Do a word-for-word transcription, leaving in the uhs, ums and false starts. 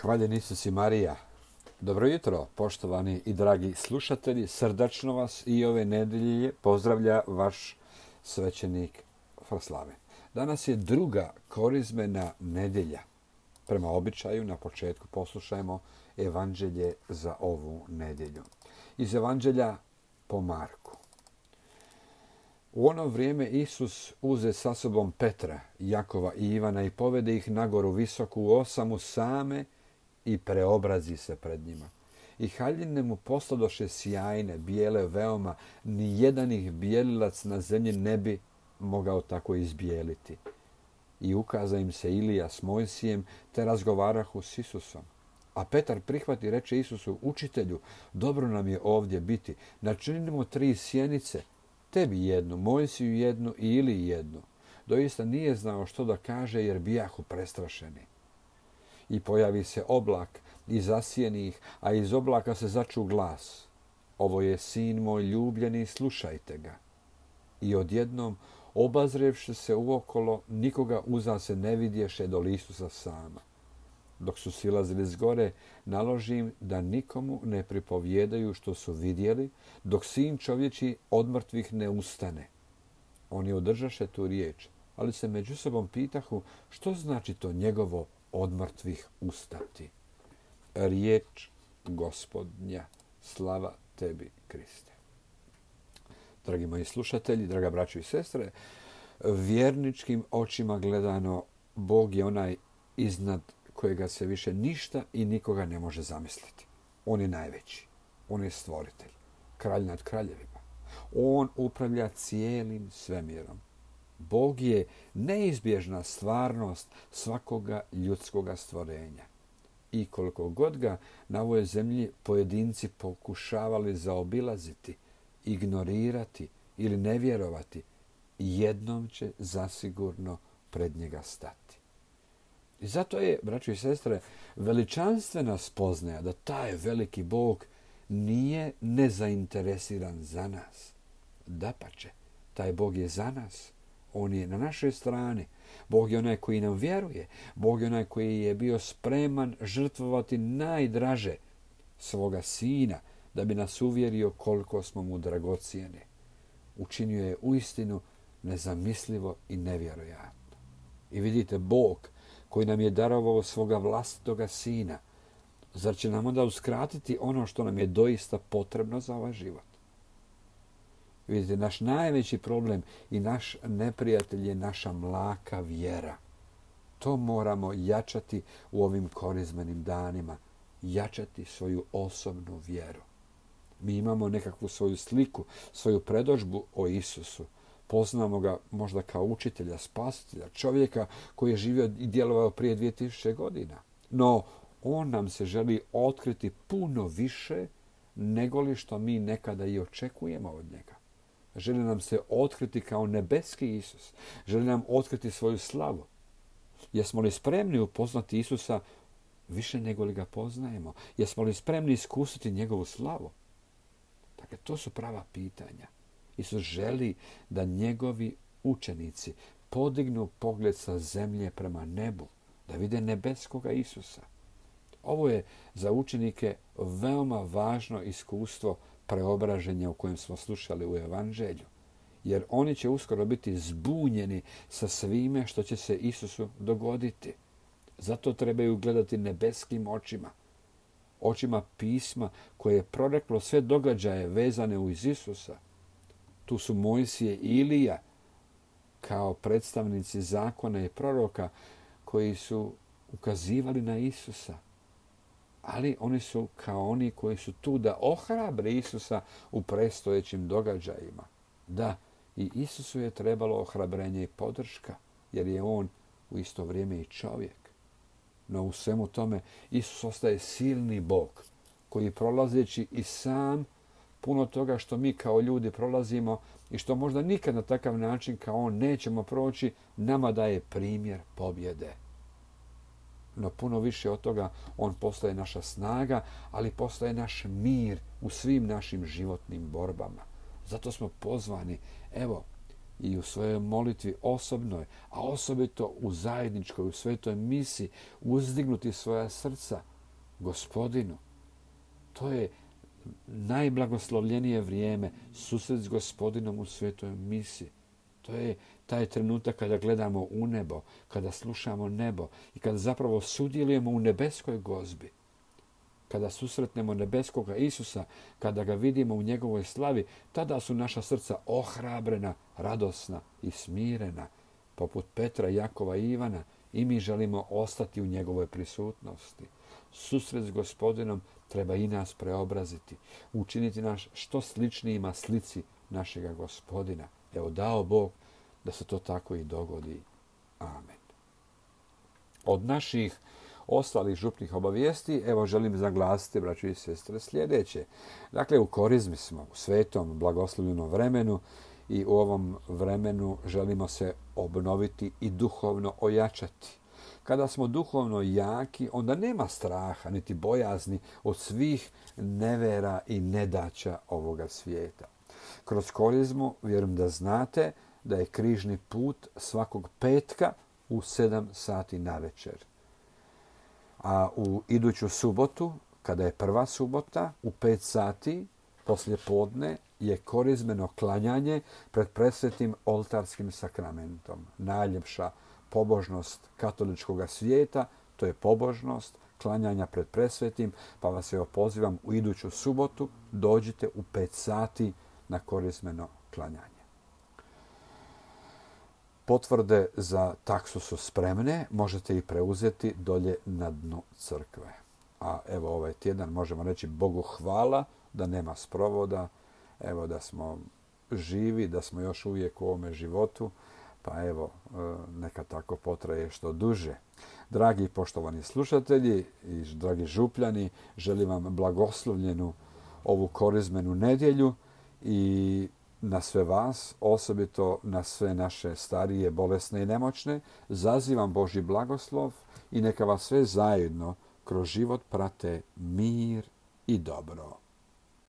Hvaljen Isus i Marija. Dobro jutro, poštovani i dragi slušatelji. Srdačno vas i ove nedelje pozdravlja vaš svećenik Fraslaven. Danas je druga korizmena nedelja. Prema običaju na početku poslušajmo evanđelje za ovu nedelju. Iz evanđelja po Marku. U ono vrijeme Isus uze sa sobom Petra, Jakova i Ivana i povede ih na goru visoku u osamu same i preobrazi se pred njima. I haljine mu posladoše sjajne, bijele veoma, ni jedan ih bijelilac na zemlji ne bi mogao tako izbijeliti. I ukaza im se Ilija s Mojsijem, te razgovarahu s Isusom. A Petar prihvati i reče Isusu: Učitelju, dobro nam je ovdje biti. Načinimo tri sjenice, tebi jednu, Mojsiju jednu i Iliji jednu. Doista nije znao što da kaže, jer bijahu prestrašeni. I pojavi se oblak i zasijeni ih, a iz oblaka se začu glas: Ovo je sin moj ljubljeni, slušajte ga. I odjednom, obazrevši se uokolo, nikoga uza se ne vidješe do Isusa sama. Dok su silazili s gore, naloži im da nikomu ne pripovjedaju što su vidjeli, dok sin čovječi od mrtvih ne ustane. Oni održaše tu riječ, ali se među sobom pitahu što znači to njegovo od mrtvih ustati. Riječ Gospodnja, slava tebi, Kriste. Dragi moji slušatelji, draga braćo i sestre, vjerničkim očima gledano, Bog je onaj iznad kojega se više ništa i nikoga ne može zamisliti. On je najveći, on je stvoritelj, kralj nad kraljevima. On upravlja cijelim svemirom. Bog je neizbježna stvarnost svakoga ljudskoga stvorenja. I koliko god ga na ovoj zemlji pojedinci pokušavali zaobilaziti, ignorirati ili ne vjerovati, jednom će zasigurno pred njega stati. I zato je, braćo i sestre, veličanstvena spoznaja da taj veliki Bog nije nezainteresiran za nas. Dapače, taj Bog je za nas. On je na našoj strani. Bog je onaj koji nam vjeruje. Bog je onaj koji je bio spreman žrtvovati najdraže svoga sina da bi nas uvjerio koliko smo mu dragocijeni. Učinio je uistinu nezamislivo i nevjerojatno. I vidite, Bog koji nam je darovao svoga vlastitoga sina, zar će nam onda uskratiti ono što nam je doista potrebno za ovaj život? Vidite, naš najveći problem i naš neprijatelj je naša mlaka vjera. To moramo jačati u ovim korizmenim danima. Jačati svoju osobnu vjeru. Mi imamo nekakvu svoju sliku, svoju predodžbu o Isusu. Poznamo ga možda kao učitelja, spasitelja, čovjeka koji je živio i djelovao prije dvije tisuće godina. No, on nam se želi otkriti puno više nego li što mi nekada i očekujemo od njega. Želi nam se otkriti kao nebeski Isus. Želi nam otkriti svoju slavu. Jesmo li spremni upoznati Isusa više nego li ga poznajemo? Jesmo li spremni iskusiti njegovu slavu? Dakle, to su prava pitanja. Isus želi da njegovi učenici podignu pogled sa zemlje prema nebu, da vide nebeskoga Isusa. Ovo je za učenike veoma važno iskustvo preobraženja o kojem smo slušali u evanđelju, jer oni će uskoro biti zbunjeni sa svime što će se Isusu dogoditi. Zato trebaju gledati nebeskim očima, očima pisma koje je proreklo sve događaje vezane uz Isusa. Tu su Mojsije i Ilija kao predstavnici zakona i proroka koji su ukazivali na Isusa. Ali oni su kao oni koji su tu da ohrabre Isusa u predstojećim događajima. Da, i Isusu je trebalo ohrabrenje i podrška, jer je on u isto vrijeme i čovjek. No u svemu tome Isus ostaje silni Bog koji prolazeći i sam puno toga što mi kao ljudi prolazimo i što možda nikad na takav način kao on nećemo proći, nama daje primjer pobjede. No puno više od toga on postaje naša snaga, ali postaje naš mir u svim našim životnim borbama. Zato smo pozvani, evo, i u svojoj molitvi osobnoj, a osobito u zajedničkoj, u svetoj misi, uzdignuti svoja srca Gospodinu. To je najblagoslovljenije vrijeme, susret s Gospodinom u svetoj misi. To je taj trenutak kada gledamo u nebo, kada slušamo nebo i kada zapravo sudjelujemo u nebeskoj gozbi. Kada susretnemo nebeskoga Isusa, kada ga vidimo u njegovoj slavi, tada su naša srca ohrabrena, radosna i smirena. Poput Petra, Jakova i Ivana, i mi želimo ostati u njegovoj prisutnosti. Susret s Gospodinom treba i nas preobraziti, učiniti nas što sličnijima slici našega Gospodina. Evo, dao Bog da se to tako i dogodi. Amen. Od naših ostalih župnih obavijesti, evo želim zaglasiti, braćo i sestre, sljedeće. Dakle, u korizmi smo, u svetom, blagoslovljenom vremenu i u ovom vremenu želimo se obnoviti i duhovno ojačati. Kada smo duhovno jaki, onda nema straha niti bojazni od svih nevera i nedaća ovoga svijeta. Kroz korizmu vjerujem da znate da je križni put svakog petka u sedam sati navečer. A u iduću subotu, kada je prva subota, u pet sati poslije podne je korizmeno klanjanje pred presvetim oltarskim sakramentom. Najljepša pobožnost katoličkog svijeta, to je pobožnost klanjanja pred presvetim, pa vas evo pozivam u iduću subotu, dođite u pet sati na korizmeno klanjanje. Potvrde za taksu su spremne, možete ih preuzeti dolje na dnu crkve. A evo ovaj tjedan možemo reći Bogu hvala da nema sprovoda, evo da smo živi, da smo još uvijek u ovome životu, pa evo neka tako potraje što duže. Dragi i poštovani slušatelji i dragi župljani, želim vam blagoslovljenu ovu korizmenu nedjelju i na sve vas, osobito na sve naše starije, bolesne i nemoćne, zazivam Božji blagoslov i neka vas sve zajedno kroz život prate mir i dobro.